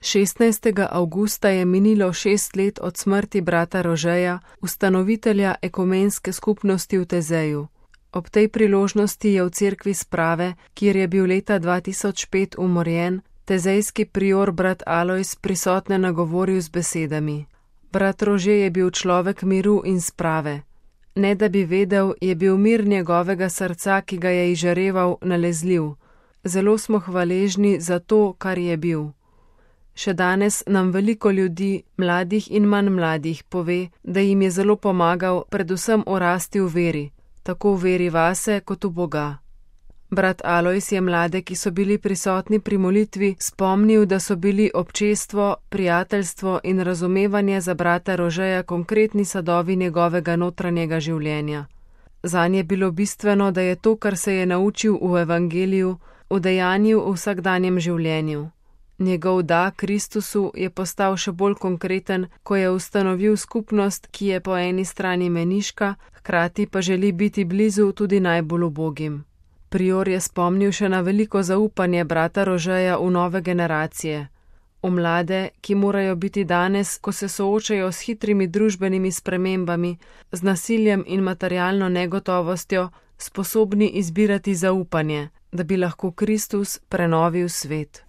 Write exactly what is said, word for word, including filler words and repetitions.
šestnajstega avgusta je minilo šest let od smrti brata Rožeja, ustanovitelja ekumenske skupnosti v Tezeju. Ob tej priložnosti je v cerkvi Sprave, kjer je bil leta dva tisoč pet umorjen, tezejski prior brat Alojz prisotne nagovoril z besedami: Brat Rože je bil človek miru in sprave. Ne da bi vedel, je bil mir njegovega srca, ki ga je izžareval, nalezljiv. Zelo smo hvaležni za to, kar je bil. Še danes nam veliko ljudi, mladih in manj mladih, pove, da jim je zelo pomagal predvsem orasti v veri, tako v veri vase kot v Boga. Brat Alojz je mlade, ki so bili prisotni pri molitvi, spomnil, da so bili občestvo, prijateljstvo in razumevanje za brata Rožeja konkretni sadovi njegovega notranjega življenja. Zanj je bilo bistveno, da je to, kar se je naučil v evangeliju, udejanjil v vsakdanjem življenju. Njegov da Kristusu je postal še bolj konkreten, ko je ustanovil skupnost, ki je po eni strani meniška, hkrati pa želi biti blizu tudi najbolj ubogim. Prior je spomnil še na veliko zaupanje brata Rožeja v nove generacije, v mlade, ki morajo biti danes, ko se soočajo s hitrimi družbenimi spremembami, z nasiljem in materialno negotovostjo, sposobni izbirati zaupanje, da bi lahko Kristus prenovil svet.